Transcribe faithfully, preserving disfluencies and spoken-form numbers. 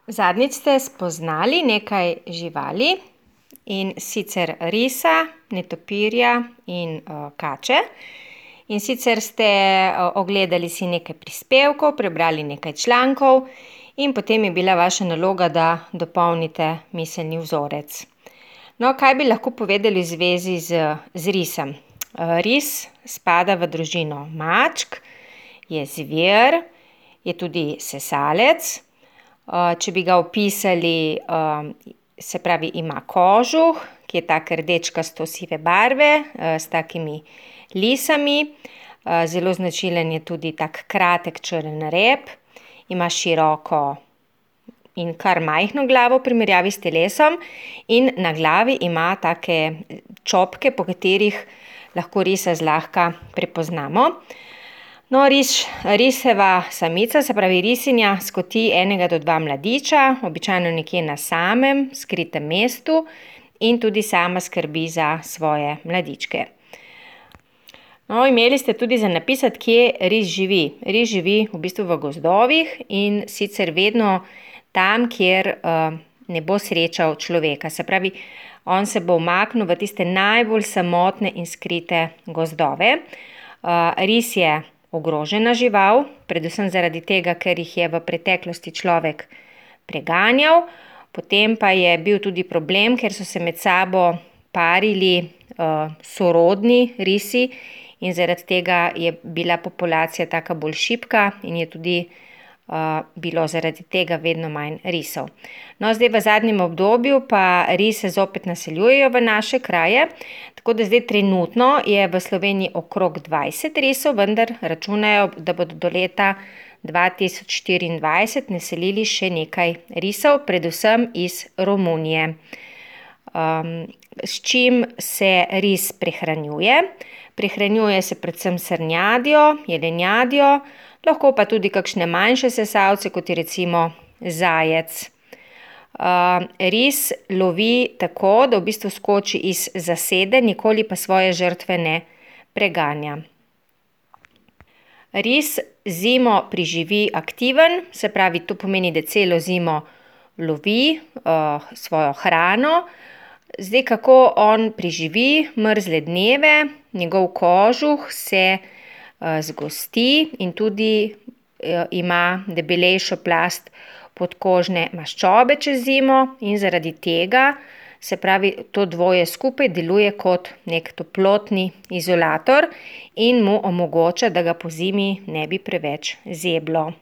Zadnjič ste spoznali nekaj živali, in sicer risa, netopirja in uh, kače. In sicer ste uh, ogledali si nekaj prispevkov, prebrali nekaj člankov in potem je bila vaša naloga, da dopolnite miselni vzorec. No, kaj bi lahko povedali v zvezi z, z risom? Uh, ris spada v družino mačk, je zver, je tudi sesalec. Če bi ga opisali, se pravi, ima kožuh, ki je tak rdečkasto sive barve, s takimi lisami. Zelo značilen je tudi tak kratek črn rep, ima široko in kar majhno glavo v primerjavi s telesom in na glavi ima take čopke, po katerih lahko risa zlahka prepoznamo. No, ris, riseva samica, se pravi risinja, skoti enega do dva mladiča, običajno nekje na samem, skritem mestu in tudi sama skrbi za svoje mladičke. No, imeli ste tudi za napisati, kje ris živi. Ris živi v bistvu v gozdovih in sicer vedno tam, kjer uh, ne bo srečal človeka. Se pravi, on se bo umaknil v tiste najbolj samotne in skrite gozdove. Uh, ris je ogrožena žival, predvsem zaradi tega, ker jih je v preteklosti človek preganjal. Potem pa je bil tudi problem, ker so se med sabo parili uh, sorodni risi in zaradi tega je bila populacija taka bolj šibka in je tudi uh, bilo zaradi tega vedno manj risov. No, zdaj v zadnjem obdobju pa rise zopet naseljujejo v naše kraje, tako da zdaj trenutno je v Sloveniji okrog dvajset risov, vendar računajo, da bodo do leta dva tisoč štiriindvajset naselili še nekaj risov, predvsem iz Romunije. Um, s čim se ris prehranjuje? Prehranjuje se predvsem srnjadjo, jelenjadjo, lahko pa tudi kakšne manjše sesalce, kot je recimo zajec. Uh, ris lovi tako, da v bistvu skoči iz zasede, nikoli pa svoje žrtve ne preganja. Ris zimo preživi aktiven, se pravi, to pomeni, da celo zimo lovi uh, svojo hrano. Zdaj, kako on preživi mrzle dneve, njegov kožuh se uh, zgosti in tudi uh, ima debelejšo plast podkožne maščobe čez zimo in zaradi tega, se pravi, to dvoje skupaj deluje kot nek toplotni izolator in mu omogoča, da ga po zimi ne bi preveč zeblo.